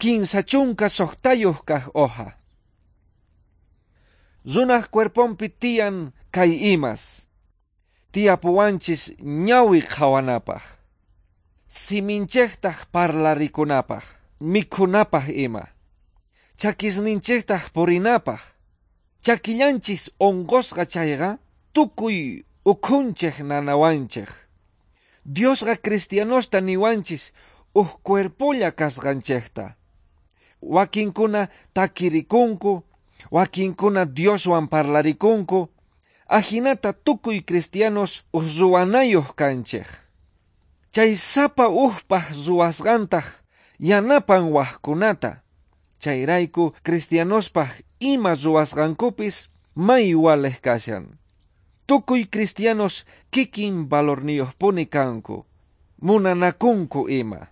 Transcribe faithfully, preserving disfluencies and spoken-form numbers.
Kinsa chunka sojtayoj kaj hoja. Runaj cuerponpi tiyan kay imas. Tiyapuwanchis ñawi qhawanapaj. Siminchejtaj parlarikunapaj, mikhunapaj ima. Chakisninchejtaj purinapaj. Chakillanchis onqosqa chayqa tukuy ukhunchej nanawanchej. Diosqa cristianosta niwanchis uj cuerpolla kasqanchejta. Wakinkuna takirikunku, wakinkuna Dioswan parlarikunku, ajinata tukuy cristianos uj ruwanayoj kanchej. Chay sapa ujpaj ruwasqantaj yanapan wajkunata. Chayrayku cristianospaj ima ruwasqankupis may walej kashan. Tukuy cristianos kikin valorniyojpuni kanku, munanakunku ima.